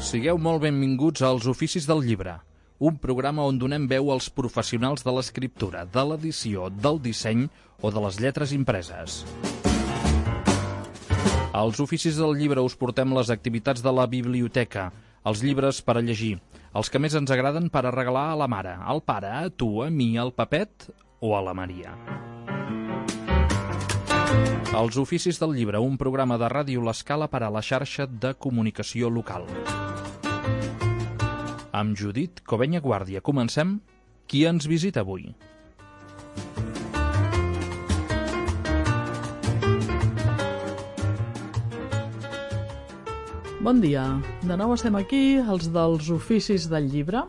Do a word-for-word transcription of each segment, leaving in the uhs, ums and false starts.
Sigueu molt benvinguts als Oficis del Llibre, un programa on donem veu als professionals de l'escriptura, de l'edició, del disseny o de les lletres impreses. Als Oficis del Llibre us portem les activitats de la biblioteca, els llibres per a llegir, els que més ens agraden per a regalar a la mare, al pare, a tu, a mi, al Pepet o a la Maria. Els Oficis del Llibre, un programa de Ràdio L'Escala per a la xarxa de comunicació local. Amb Judit Covenya Guàrdia comencem. Qui ens visita avui? Bon dia. De nou estem aquí, els dels Oficis del Llibre.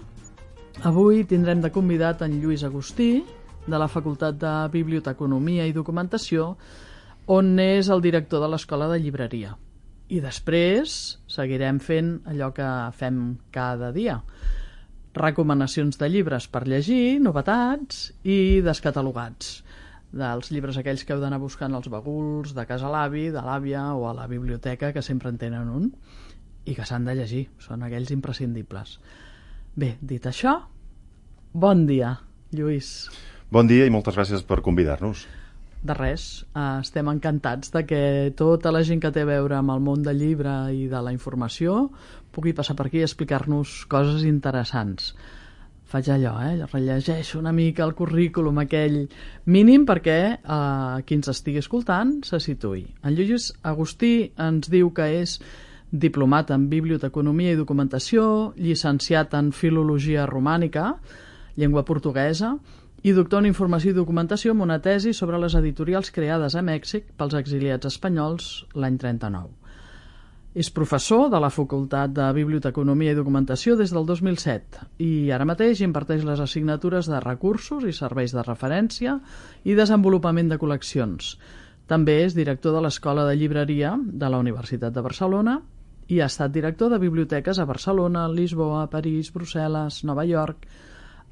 Avui tindrem de convidat en Lluís Agustí, de la Facultat de Biblioteconomia i Documentació, on és el director de l'Escola de Llibreria. I després seguirem fent allò que fem cada dia. Recomanacions de llibres per llegir, novetats i descatalogats. Dels llibres aquells que heu d'anar buscant als baguls, de casa l'avi, de l'àvia o a la biblioteca, que sempre en tenen un, i que s'han de llegir. Són aquells imprescindibles. Bé, dit això, bon dia, Lluís. Bon dia i moltes gràcies per convidar-nos. De res, estem encantats de que tota la gent que té a veure amb el món del llibre i de la informació pugui passar per aquí i explicar-nos coses interessants. Faig allò, eh? rellegeixo una mica el currículum aquell mínim perquè eh, qui ens estigui escoltant se situï. En Lluís Agustí ens diu que és diplomat en Biblioteconomia i Documentació, llicenciat en Filologia Romànica, llengua portuguesa, i doctor en Informació i Documentació amb una tesi sobre les editorials creades a Mèxic pels exiliats espanyols l'any trenta-nou. És professor de la Facultat de Biblioteconomia i Documentació des del dos mil set i ara mateix imparteix les assignatures de recursos i serveis de referència i desenvolupament de col·leccions. També és director de l'Escola de Llibreria de la Universitat de Barcelona i ha estat director de biblioteques a Barcelona, Lisboa, París, Brussel·les, Nova York,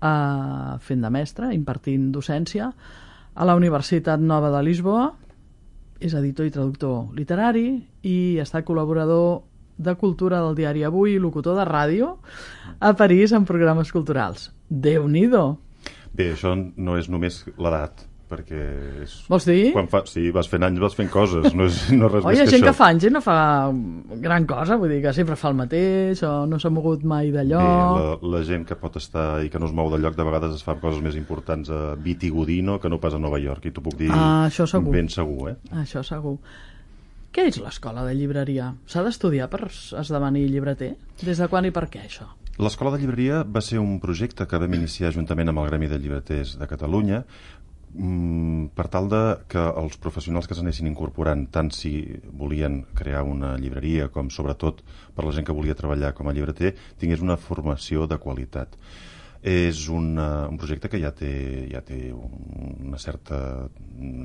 Uh, fent de mestre, impartint docència a la Universitat Nova de Lisboa. És editor i traductor literari i ha estat col·laborador de cultura del diari Avui i locutor de ràdio a París en programes culturals. Déu-n'hi-do! Bé, això no és només l'edat, perquè és... Vols dir? Quan fa... Sí, vas fent anys, vas fent coses, no és, no és res Oi, més que gent això. que fa anys i no fa gran cosa, vull dir que sempre fa el mateix o no s'ha mogut mai de lloc. Bé, la, la gent que pot estar i que no es mou de lloc de vegades es fa coses més importants a Vitigodino que no pas a Nova York, i t'ho puc dir ah, això segur. Ben segur, eh? Això segur. Què és l'Escola de Llibreria? S'ha d'estudiar per esdevenir llibreter? Des de quan i per què, això? L'Escola de Llibreria va ser un projecte que vam iniciar juntament amb el Gremi de Llibreters de Catalunya per tal de que els professionals que s'anessin incorporant, tant si volien crear una llibreria com sobretot per la gent que volia treballar com a llibreter, tingués una formació de qualitat. És una, un projecte que ja té, ja té una certa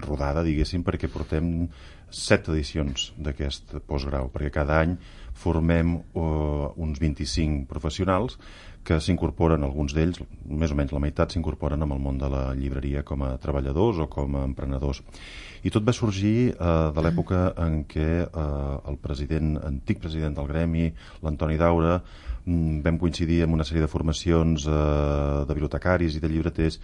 rodada, diguéssim, perquè portem set edicions d'aquest postgrau, perquè cada any formem uh, uns vint-i-cinc professionals que s'incorporen, alguns d'ells, més o menys la meitat, s'incorporen amb el món de la llibreria com a treballadors o com a emprenedors. I tot va sorgir eh, de l'època en què eh, el president, antic president del Gremi, l'Antoni Daura, mm, vam coincidir amb una sèrie de formacions eh, de bibliotecaris i de llibreters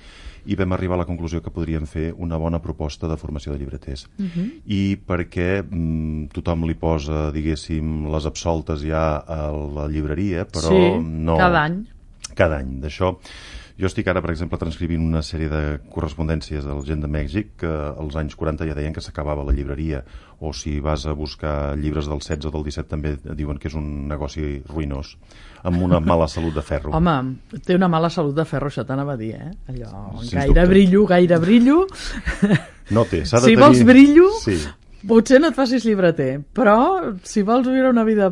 i vam arribar a la conclusió que podríem fer una bona proposta de formació de llibreters. Uh-huh. I perquè mm, tothom li posa, diguéssim, les absoltes ja a la llibreria, però sí, no... cada any. Cada any. D'això, jo estic ara, per exemple, transcrivint una sèrie de correspondències de la gent de Mèxic que als anys quaranta ja deien que s'acabava la llibreria, o si vas a buscar llibres del setze o del disset també diuen que és un negoci ruïnós, amb una mala salut de ferro. Home, té una mala salut de ferro, això t'anava a dir, eh? Allò, Sens gaire dubte. brillo, gaire brillo. No té, s'ha de si tenir... vols brillo... Sí. Potser no et facis llibreter, però si vols viure una vida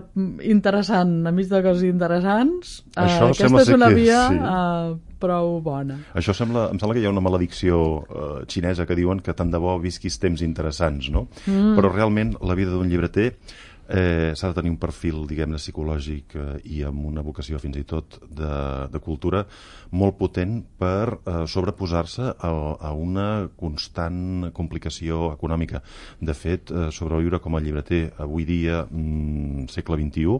interessant enmig de coses interessants, eh, aquesta és una que, via sí. eh, prou bona. Això sembla, em sembla que hi ha una maledicció eh, xinesa que diuen que tant de bo visquis temps interessants, no? Mm. Però realment la vida d'un llibreter Eh, s'ha de tenir un perfil, diguem-ne, psicològic eh, i amb una vocació fins i tot de, de cultura molt potent per eh, sobreposar-se a, a una constant complicació econòmica. De fet, eh, sobreviure com a llibreter avui dia, mm, segle vint-i-u,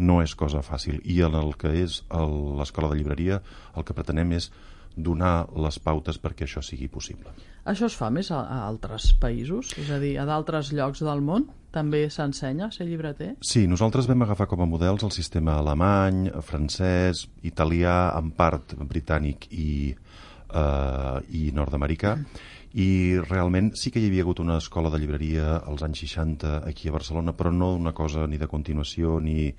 no és cosa fàcil. I en el que és el, l'escola de llibreria, el que pretenem és donar les pautes perquè això sigui possible. Això es fa més a, a altres països? És a dir, a d'altres llocs del món també s'ensenya a ser llibreter? Sí, nosaltres vam agafar com a models el sistema alemany, francès, italià, en part britànic i, eh, i nord-americà, i realment sí que hi havia hagut una escola de llibreria als anys seixanta aquí a Barcelona, però no una cosa ni de continuació ni,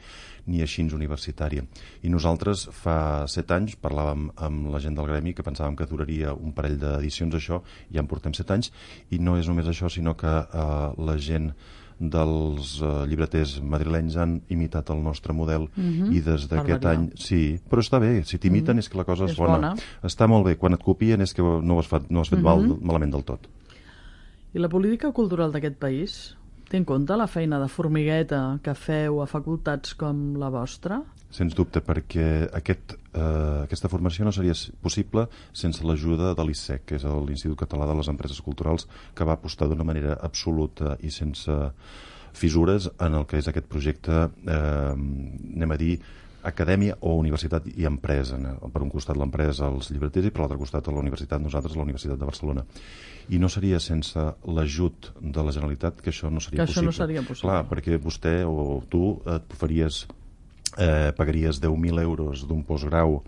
ni així universitària. I nosaltres fa set anys parlàvem amb la gent del gremi que pensàvem que duraria un parell d'edicions això, i ja en portem set anys, i no és només això, sinó que eh, la gent dels uh, llibreters madrilenys han imitat el nostre model mm-hmm. i des d'aquest any... Sí, però està bé, si t'imiten mm-hmm. és que la cosa és, és bona. bona. Està molt bé, quan et copien és que no ho has fet, no has fet mm-hmm. mal, malament del tot. I la política cultural d'aquest país té en compte la feina de formigueta que feu a facultats com la vostra? Sens dubte, perquè aquest, eh, aquesta formació no seria possible sense l'ajuda de l'I S E C, que és l'Institut Català de les Empreses Culturals, que va apostar d'una manera absoluta i sense fissures en el que és aquest projecte, eh, anem a dir, acadèmia o universitat i empresa. Per un costat l'empresa, els llibreters, i per l'altre costat la universitat, nosaltres, la Universitat de Barcelona. I no seria sense l'ajut de la Generalitat que això no seria que possible. Això no seria possible. Clar, perquè vostè o tu et faries... Eh, pagaries deu mil euros d'un postgrau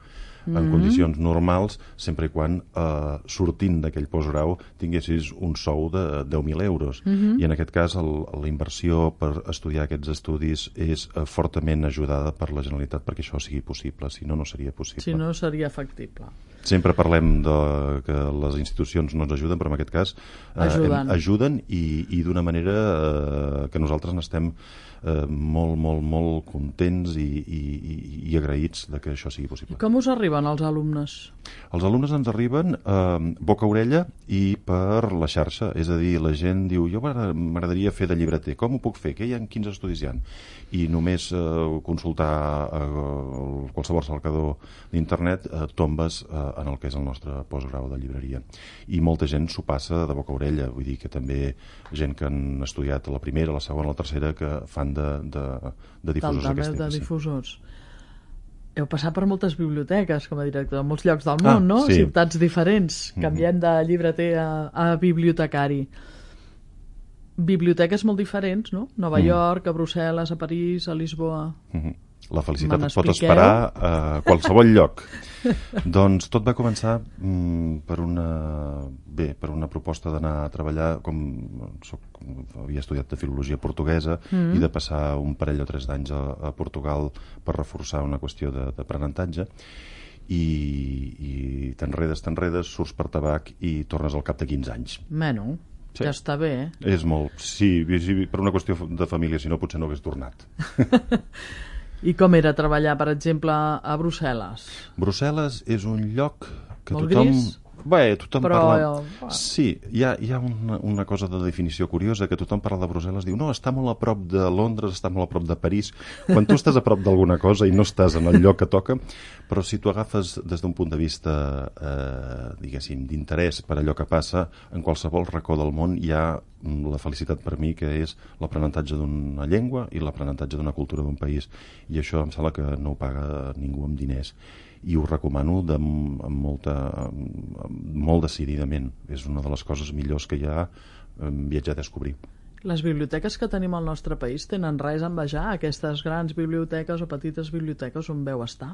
en mm-hmm. condicions normals, sempre i quan eh, sortint d'aquell postgrau tinguessis un sou de deu mil euros. Mm-hmm. I en aquest cas el, la inversió per estudiar aquests estudis és eh, fortament ajudada per la Generalitat perquè això sigui possible, si no, no seria possible. Si no, seria factible. Sempre parlem de que les institucions no ens ajuden, però en aquest cas eh, ajuden, ajuden i, i d'una manera eh, que nosaltres n'estem eh, molt, molt, molt contents i, i, i agraïts de que això sigui possible. I com us arriben els alumnes? Els alumnes ens arriben eh, boca-orella i per la xarxa, és a dir, la gent diu, jo m'agradaria fer de llibreter, com ho puc fer? Què hi ha? Quins estudis hi ha? I només eh, consultar eh, qualsevol cercador d'internet eh, tombes eh, en el que és el nostre postgrau de llibreria. I molta gent s'ho passa de boca a orella, vull dir que també gent que han estudiat a la primera, a la segona, a la tercera, que fan de, de, de difusors d'aquest de temps. difusors. Sí. Heu passat per moltes biblioteques com a director, en molts llocs del món, ah, no? Sí. Ciutats diferents, canviant de llibreter a, a bibliotecari. Biblioteques molt diferents, no? Nova mm. York, a Brussel·les, a París, a Lisboa... Mm-hmm. La felicitat et pot esperar a qualsevol lloc. Doncs tot va començar mm, per una bé, per una proposta d'anar a treballar, com soc, havia estudiat de filologia portuguesa mm. i de passar un parell o tres d'anys a, a Portugal per reforçar una qüestió d'aprenentatge, i, i t'enredes, t'enredes, surts per tabac i tornes al cap de quinze anys. Meno, sí. Ja està bé, eh? És molt, sí, sí, per una qüestió de família, si no potser no hagués tornat. I com era treballar, per exemple, a Brussel·les? Brussel·les és un lloc que molt tothom... Gris? Bé, tothom però... parla... Sí, hi ha, hi ha una, una cosa de definició curiosa, que tothom parla de Brussel·les, diu, no, està molt a prop de Londres, està molt a prop de París. Quan tu estàs a prop d'alguna cosa i no estàs en el lloc que toca, però si tu agafes des d'un punt de vista, eh, diguéssim, d'interès per allò que passa, en qualsevol racó del món hi ha la felicitat per mi, que és l'aprenentatge d'una llengua i l'aprenentatge d'una cultura d'un país. I això em sembla que no ho paga ningú amb diners. I ho recomano de, amb molta, amb, molt decididament. És una de les coses millors que hi ha viatjar a descobrir. Les biblioteques que tenim al nostre país tenen res a envejar aquestes grans biblioteques o petites biblioteques on veu estar?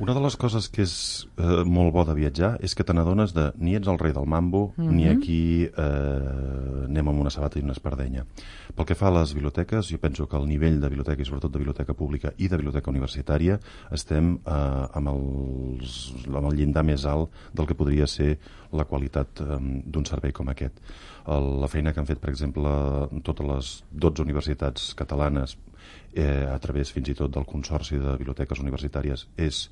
Una de les coses que és eh, molt bo de viatjar és que te n'adones de ni ets el rei del mambo, mm-hmm. ni aquí eh, anem amb una sabata i una espardenya. Pel que fa a les biblioteques, jo penso que el nivell de biblioteca, i sobretot de biblioteca pública i de biblioteca universitària, estem eh, amb, els, amb el llindar més alt del que podria ser la qualitat eh, d'un servei com aquest. El, la feina que han fet, per exemple, totes les dotze universitats catalanes, eh, a través fins i tot del Consorci de Biblioteques Universitàries, és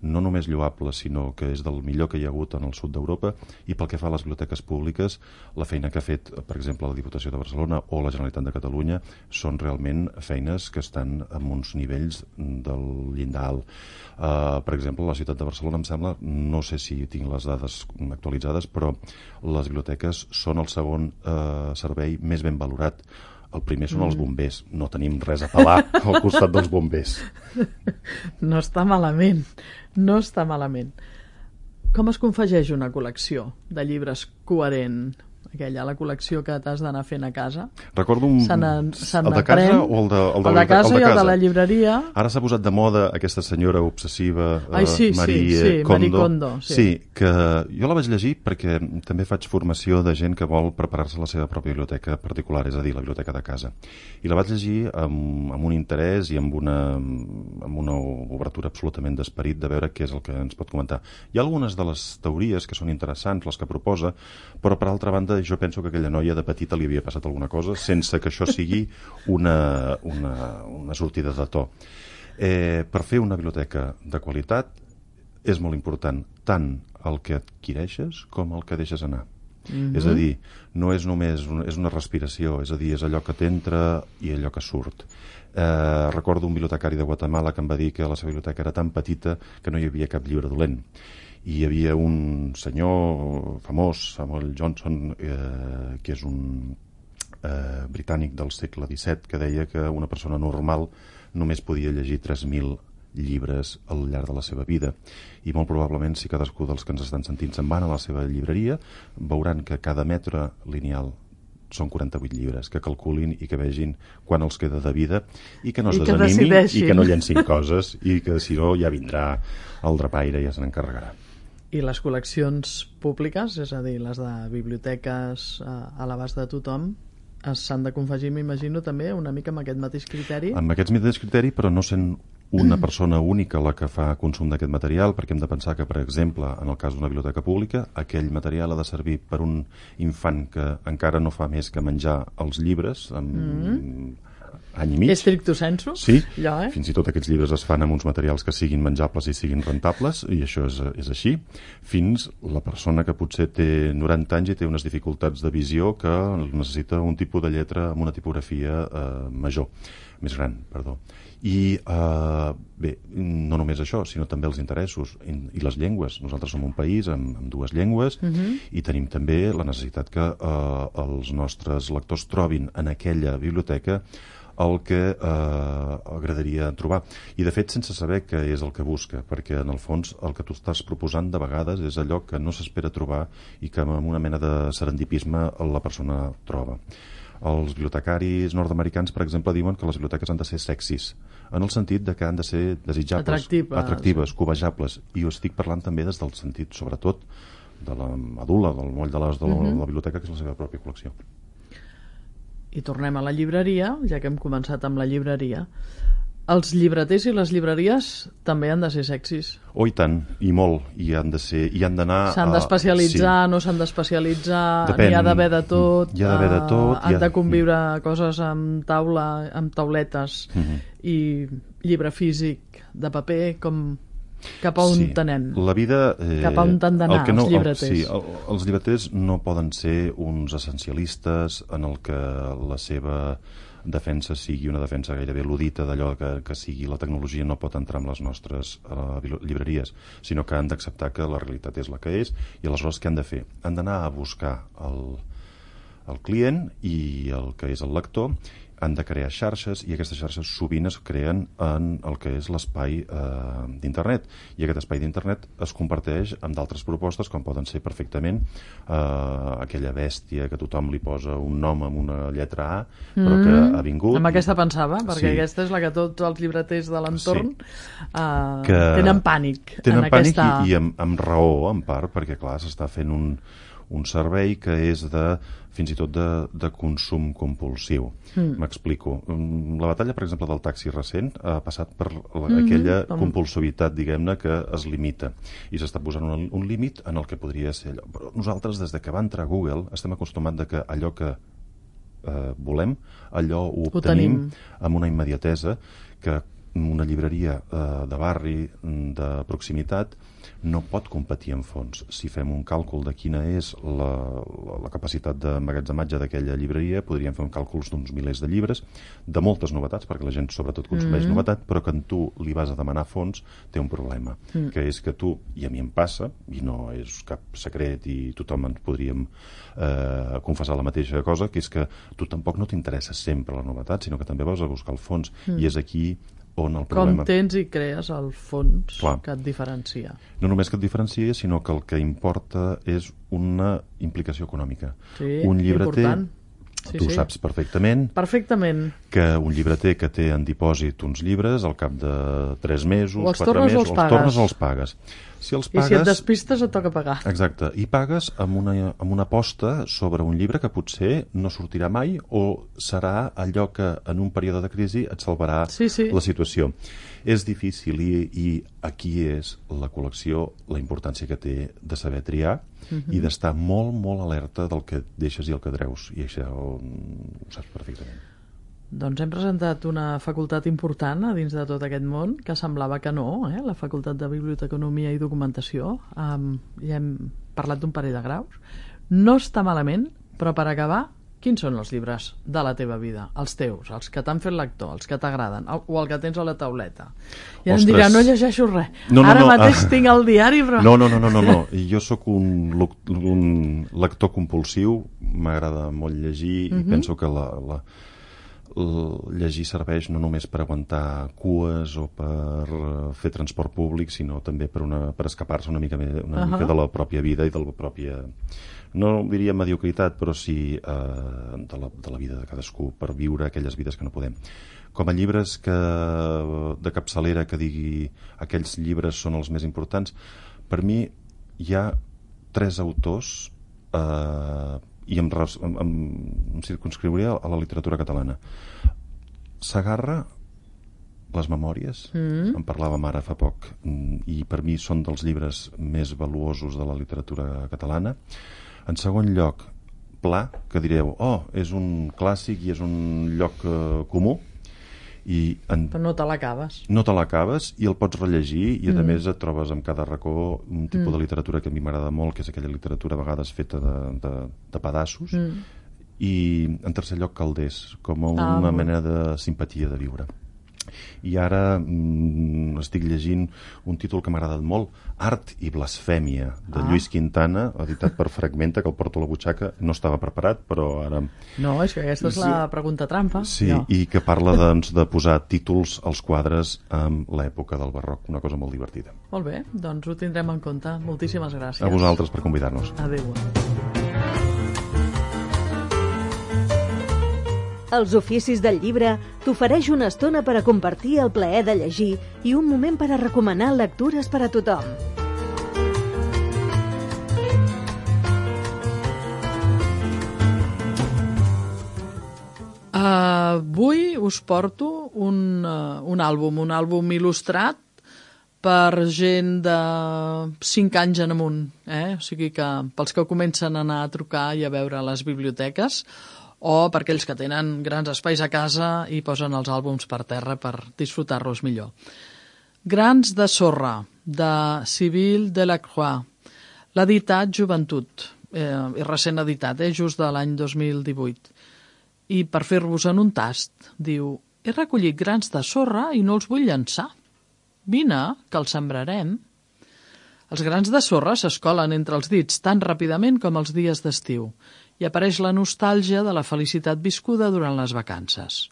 no només lloable, sinó que és del millor que hi ha hagut en el sud d'Europa, i pel que fa a les biblioteques públiques, la feina que ha fet, per exemple, la Diputació de Barcelona o la Generalitat de Catalunya són realment feines que estan en uns nivells del llindar alt. Uh, per exemple, la ciutat de Barcelona, em sembla, no sé si tinc les dades actualitzades, però les biblioteques són el segon uh, servei més ben valorat. El primer són els bombers. No tenim res a pelar al costat dels bombers. No està malament. No està malament. Com es confegeix una col·lecció de llibres coherent? Aquella, la col·lecció que t'has d'anar fent a casa. Recordo un... Se se el de casa o el de, el de, el de casa el de i el casa? de la llibreria. Ara s'ha posat de moda aquesta senyora obsessiva, Ai, sí, uh, Marie, sí, sí, Kondo. Marie Kondo. Sí. sí, que jo la vaig llegir perquè també faig formació de gent que vol preparar-se la seva pròpia biblioteca particular, és a dir, la biblioteca de casa. I la vaig llegir amb, amb un interès i amb una, amb una obertura absolutament d'esperit de veure què és el que ens pot comentar. Hi ha algunes de les teories que són interessants, les que proposa, però per altra banda jo penso que aquella noia de petita li havia passat alguna cosa sense que això sigui una, una, una sortida de to. Eh, per fer una biblioteca de qualitat és molt important tant el que adquireixes com el que deixes anar. Mm-hmm. És a dir, no és només una, és una respiració, és a dir, és allò que t'entra i allò que surt. Eh, recordo un bibliotecari de Guatemala que em va dir que la seva biblioteca era tan petita que no hi havia cap llibre dolent. I hi havia un senyor famós, Samuel Johnson, eh, que és un eh, britànic del segle disset, que deia que una persona normal només podia llegir tres mil llibres al llarg de la seva vida. I molt probablement, si cadascú dels que ens estan sentint se'n van a la seva llibreria, veuran que cada metre lineal són quaranta-vuit llibres, que calculin i que vegin quan els queda de vida i que no es I que desanimin decideixin. i que no llencin coses i que si no ja vindrà el drapaire i ja se n'encarregarà. I les col·leccions públiques, és a dir, les de biblioteques a, a l'abast de tothom, s'han de confegir, m'imagino, també una mica amb aquest mateix criteri? Amb aquest mateix criteri, però no sent una persona única la que fa consum d'aquest material, perquè hem de pensar que, per exemple, en el cas d'una biblioteca pública, aquell material ha de servir per un infant que encara no fa més que menjar els llibres amb mm. any i mig. Stricto sensu? Sí, allò, eh? Fins i tot aquests llibres es fan amb uns materials que siguin menjables i siguin rentables, i això és, és així, fins la persona que potser té noranta anys i té unes dificultats de visió que necessita un tipus de lletra amb una tipografia eh, major, més gran, perdó. I eh, bé, no només això, sinó també els interessos i, i les llengües. Nosaltres som un país amb, amb dues llengües uh-huh. i tenim també la necessitat que eh, els nostres lectors trobin en aquella biblioteca el que eh, agradaria trobar. I de fet sense saber què és el que busca, perquè en el fons el que tu estàs proposant de vegades és allò que no s'espera trobar i que amb una mena de serendipisme la persona troba. Els bibliotecaris nord-americans, per exemple, diuen que les biblioteques han de ser sexis, en el sentit de que han de ser desitjables, atractives, atractives sí. cobejables. I ho estic parlant també des del sentit, sobretot, de la medul·la, del moll de l'os de, uh-huh. de la biblioteca, que és la seva pròpia col·lecció. I tornem a la llibreria, ja que hem començat amb la llibreria. Els llibreters i les llibreries també han de ser sexis. Oh, i tant, i molt, i han de ser, i han d'anar... S'han d'especialitzar, sí. no s'han d'especialitzar, Depèn. n'hi ha d'haver de tot, hi ha d'haver de tot, han ha... de conviure coses amb taula, amb tauletes, uh-huh. i llibre físic de paper, com... Cap a on sí, t'anem? La vida... Eh, Cap a on t'han d'anar no, els llibreters? El, sí, el, els llibreters no poden ser uns essencialistes en el que la seva defensa sigui una defensa gairebé ludita d'allò que, que sigui la tecnologia no pot entrar en les nostres uh, llibreries, sinó que han d'acceptar que la realitat és la que és i aleshores què han de fer? Han d'anar a buscar el, el client i el que és el lector, han de crear xarxes i aquestes xarxes sovint es creen en el que és l'espai eh, d'internet i aquest espai d'internet es comparteix amb d'altres propostes com poden ser perfectament eh, aquella bèstia que tothom li posa un nom amb una lletra A però que mm, ha vingut amb aquesta pensava, perquè sí. aquesta és la que tots els llibreters de l'entorn sí. eh, que tenen pànic tenen en pànic aquesta... i, i amb, amb raó en part perquè clar s'està fent un, un servei que és de fins i tot de, de consum compulsiu. M'explico. Mm. La batalla, per exemple, del taxi recent ha passat per la, mm-hmm. aquella compulsivitat, diguem-ne, que es limita. I s'està posant un, un límit en el que podria ser allò. Però nosaltres, des de que va entrar Google, estem acostumats de que allò que eh, volem, allò ho obtenim amb una immediatesa que una llibreria eh, de barri, de proximitat, no pot competir en fons. Si fem un càlcul de quina és la, la, la capacitat d'emmagatzematge d'aquella llibreria, podríem fer un càlcul d'uns milers de llibres, de moltes novetats, perquè la gent sobretot consumeix mm-hmm. novetat, però que en tu li vas a demanar fons té un problema, mm. que és que tu, i a mi em passa, i no és cap secret i tothom ens podríem eh, confessar la mateixa cosa, que és que tu tampoc no t'interessa sempre la novetat, sinó que també vas a buscar el fons, mm. i és aquí on el problema... Com tens i crees el fons Clar. que et diferencia. No només que et diferencia, sinó que el que importa és una implicació econòmica. Sí, un llibreter, important. Sí, tu sí. saps perfectament, perfectament que un llibreter que té en dipòsit uns llibres al cap de tres mesos, o els quatre tornes mesos, o els els pagues. tornes o els pagues. Si els pagues... I si et despistes et toca pagar. Exacte, i pagues amb una, amb una aposta sobre un llibre que potser no sortirà mai o serà allò que en un període de crisi et salvarà sí, sí. la situació. És difícil i, i aquí és la col·lecció, la importància que té de saber triar uh-huh. i d'estar molt, molt alerta del que deixes i el que treus, i això ho, ho saps perfectament. Doncs hem presentat una facultat important a dins de tot aquest món, que semblava que no, eh? La facultat de Biblioteconomia i Documentació. Um, ja hem parlat d'un parell de graus. No està malament, però per acabar, quins són els llibres de la teva vida? Els teus, els que t'han fet lector, els que t'agraden, o el que tens a la tauleta. I em dirà, no llegeixo res. No, no, Ara no, mateix ah. tinc el diari, però... No, no, no, no, no, no. Jo sóc un, un lector compulsiu, m'agrada molt llegir uh-huh. i penso que la... la llegir serveix no només per aguantar cues o per fer transport públic, sinó també per, una, per escapar-se una mica, una uh-huh. mica de la pròpia vida i de la pròpia, no diria mediocritat, però sí eh, de, la, de la vida de cadascú, per viure aquelles vides que no podem. Com a llibres que, de capçalera que digui aquells llibres són els més importants, per mi hi ha tres autors eh, i em, em, em circunscriuria a la literatura catalana. Segarra, les memòries, mm. en parlàvem ara fa poc, i per mi són dels llibres més valuosos de la literatura catalana. En segon lloc, Pla, que direu, oh, és un clàssic i és un lloc eh, comú, i en... però no te l'acabes. No te l'acabes i el pots rellegir i a mm. més et trobes amb cada racó un tipus mm. de literatura que a mi m'agrada molt, que és aquella literatura a vegades feta de, de, de pedaços mm. i en tercer lloc Calders, com una ah, mena de simpatia de viure. I ara mm, estic llegint un títol que m'ha agradat molt, Art i blasfèmia, de ah. Lluís Quintana, editat per Fragmenta, que el porto a la butxaca. No estava preparat, però ara... No, és que aquesta és la pregunta trampa. Sí, no. I que parla doncs, de posar títols als quadres amb l'època del barroc, una cosa molt divertida. Molt bé, doncs ho tindrem en compte. Moltíssimes gràcies. A vosaltres per convidar-nos. Adéu. Els oficis del llibre t'ofereix una estona per a compartir el plaer de llegir i un moment per a recomanar lectures per a tothom. Uh, avui us porto un, uh, un àlbum, un àlbum il·lustrat per gent de cinc anys en amunt. Eh? O sigui que pels que comencen a anar a trucar i a veure a les biblioteques, o per aquells que tenen grans espais a casa i posen els àlbums per terra per disfrutar-los millor. Grans de sorra, de Civil Delacroix. L'ha editat Joventut, eh, és recent editat, eh, just de l'any dos mil divuit. I per fer-vos en un tast, diu, he recollit grans de sorra i no els vull llançar. Vine, que els sembrarem. Els grans de sorra s'escolen entre els dits tan ràpidament com els dies d'estiu i apareix la nostàlgia de la felicitat viscuda durant les vacances.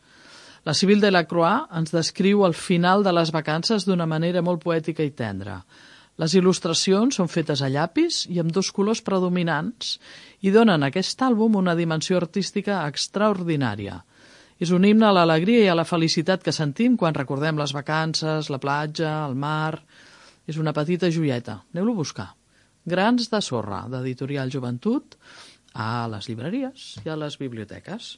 La Civil Delacroix ens descriu el final de les vacances d'una manera molt poètica i tendra. Les il·lustracions són fetes a llapis i amb dos colors predominants i donen a aquest àlbum una dimensió artística extraordinària. És un himne a l'alegria i a la felicitat que sentim quan recordem les vacances, la platja, el mar... És una petita joieta. Aneu-lo a buscar. Grans de sorra, d'Editorial Joventut, a les llibreries i a les biblioteques.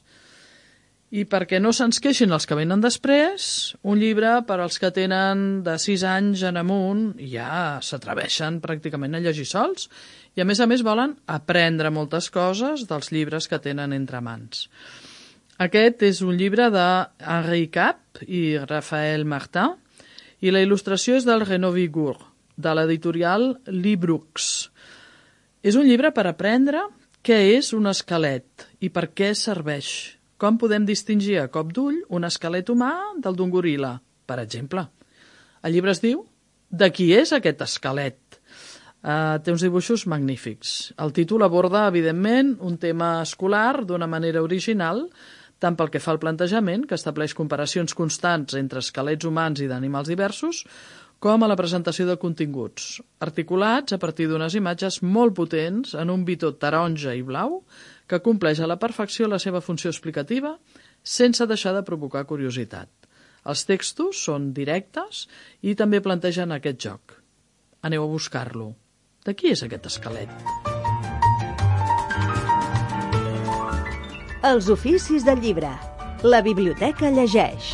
I perquè no se'ns queixin els que venen després, un llibre per als que tenen de sis anys en amunt i ja s'atreveixen pràcticament a llegir sols i a més a més volen aprendre moltes coses dels llibres que tenen entre mans. Aquest és un llibre de Henri Cap i Raphaël Martin i la il·lustració és del Renaud Vigour, de l'editorial Librux. És un llibre per aprendre què és un esquelet i per què serveix. Com podem distingir a cop d'ull un esquelet humà del d'un goril·la, per exemple. El llibre es diu De qui és aquest esquelet? Uh, té uns dibuixos magnífics. El títol aborda, evidentment, un tema escolar d'una manera original, tant pel que fa al plantejament, que estableix comparacions constants entre esquelets humans i d'animals diversos, com a la presentació de continguts, articulats a partir d'unes imatges molt potents en un bitó taronja i blau que compleix a la perfecció la seva funció explicativa sense deixar de provocar curiositat. Els textos són directes i també plantegen aquest joc. Aneu a buscar-lo. De qui és aquest esquelet? Els oficis del llibre. La biblioteca llegeix.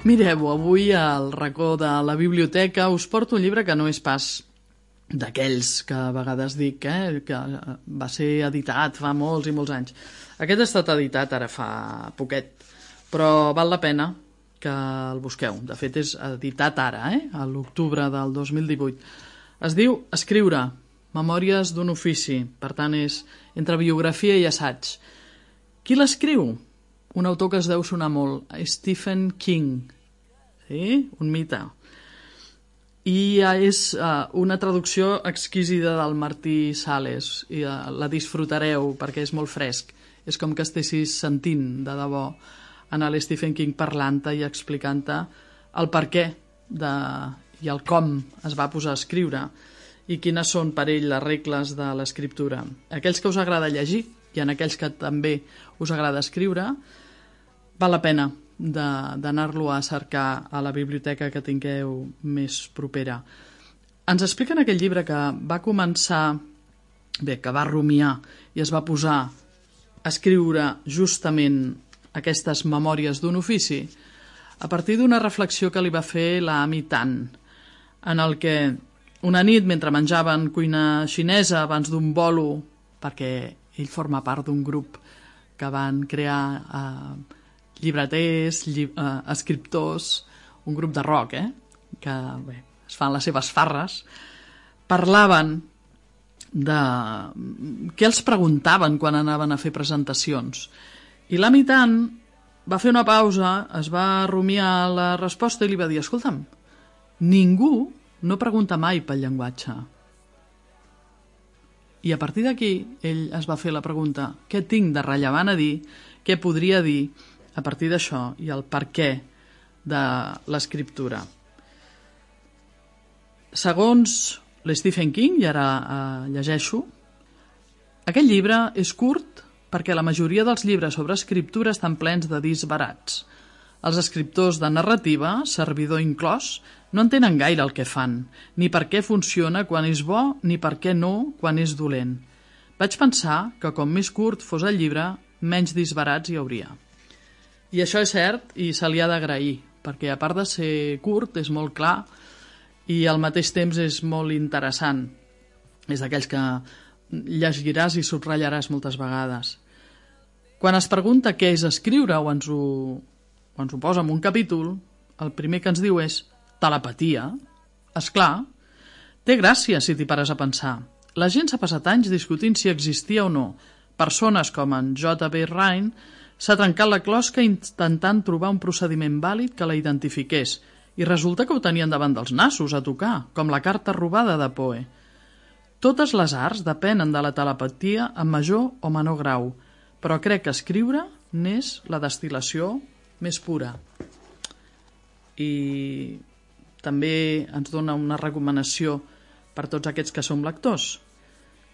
Mireu, avui al racó de la biblioteca us porto un llibre que no és pas d'aquells que a vegades dic, eh, que va ser editat fa molts i molts anys. Aquest ha estat editat ara fa poquet, però val la pena que el busqueu. De fet, és editat ara, eh, a l'octubre del dos mil divuit. Es diu Escriure, memòries d'un ofici. Per tant, és entre biografia i assaig. Qui l'escriu? Un autor que es deu sonar molt, Stephen King. Sí? Un mite. I és uh, una traducció exquisida del Martí Sales i uh, la disfrutareu perquè és molt fresc. És com que estessis sentint de debò en l'Stephen King parlant-te i explicant-te el per què de, i el com es va posar a escriure i quines són per ell les regles de l'escriptura. Aquells que us agrada llegir i en aquells que també us agrada escriure, val la pena d'anar-lo a cercar a la biblioteca que tingueu més propera. Ens explica en aquell llibre que va començar, bé, que va rumiar i es va posar a escriure justament aquestes memòries d'un ofici a partir d'una reflexió que li va fer la Amy Tan, en el que una nit, mentre menjaven cuina xinesa abans d'un bolo, perquè ell forma part d'un grup que van crear eh, llibreters, lli eh, escriptors, un grup de rock, eh, que bé, es fan les seves farres, parlaven de què els preguntaven quan anaven a fer presentacions. I l'Amy Tan va fer una pausa, es va rumiar la resposta i li va dir: escolta'm, ningú no pregunta mai pel llenguatge. I a partir d'aquí ell es va fer la pregunta: què tinc de rellevant a dir, què podria dir a partir d'això i el per què de l'escriptura. Segons l'Stephen King, i ara eh, llegeixo, aquest llibre és curt perquè la majoria dels llibres sobre escriptura estan plens de disbarats. Els escriptors de narrativa, servidor inclòs, no entenen gaire el que fan, ni per què funciona quan és bo, ni per què no quan és dolent. Vaig pensar que com més curt fos el llibre, menys disbarats hi hauria. I això és cert i se li ha d'agrair, perquè a part de ser curt, és molt clar i al mateix temps és molt interessant. És d'aquells que llegiràs i subratllaràs moltes vegades. Quan es pregunta què és escriure o ens ho, o ens ho posa en un capítol, el primer que ens diu és telepatia. Esclar, té gràcia si t'hi pares a pensar. La gent s'ha passat anys discutint si existia o no. Persones com en J B Rhine s'ha trencat la closca intentant trobar un procediment vàlid que la identifiqués i resulta que ho tenien davant dels nassos a tocar, com la carta robada de Poe. Totes les arts depenen de la telepatia en major o menor grau, però crec que escriure n'és la destil·lació més pura. I també ens dona una recomanació per tots aquests que som lectors.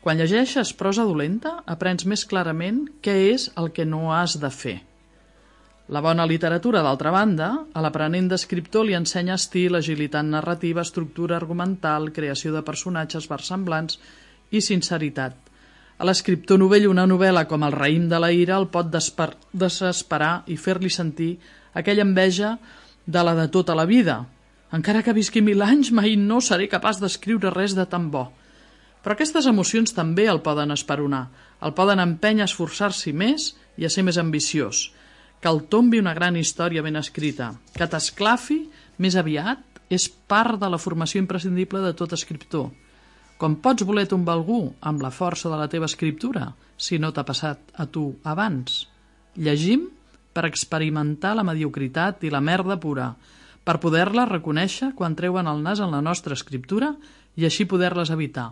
Quan llegeixes prosa dolenta, aprens més clarament què és el que no has de fer. La bona literatura, d'altra banda, a l'aprenent d'escriptor li ensenya estil, agilitat narrativa, estructura argumental, creació de personatges versemblants i sinceritat. A l'escriptor novell una novel·la com El raïm de la ira el pot desesperar i fer-li sentir aquella enveja de la de tota la vida. Encara que visqui mil anys, mai no seré capaç d'escriure res de tan bo. Però aquestes emocions també el poden esperonar, el poden empènyer a esforçar-s'hi més i a ser més ambiciós, que el tombi una gran història ben escrita, que t'esclafi més aviat és part de la formació imprescindible de tot escriptor. Com pots voler tombar algú amb la força de la teva escriptura, si no t'ha passat a tu abans? Llegim per experimentar la mediocritat i la merda pura, per poder-la reconèixer quan treuen el nas en la nostra escriptura i així poder-les evitar.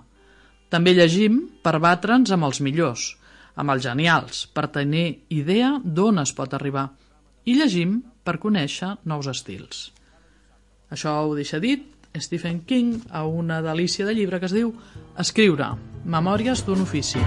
També llegim per batre'ns amb els millors, amb els genials, per tenir idea d'on es pot arribar. I llegim per conèixer nous estils. Això ho deixa dit Stephen King a una delícia de llibre que es diu Escriure, memòries d'un ofici.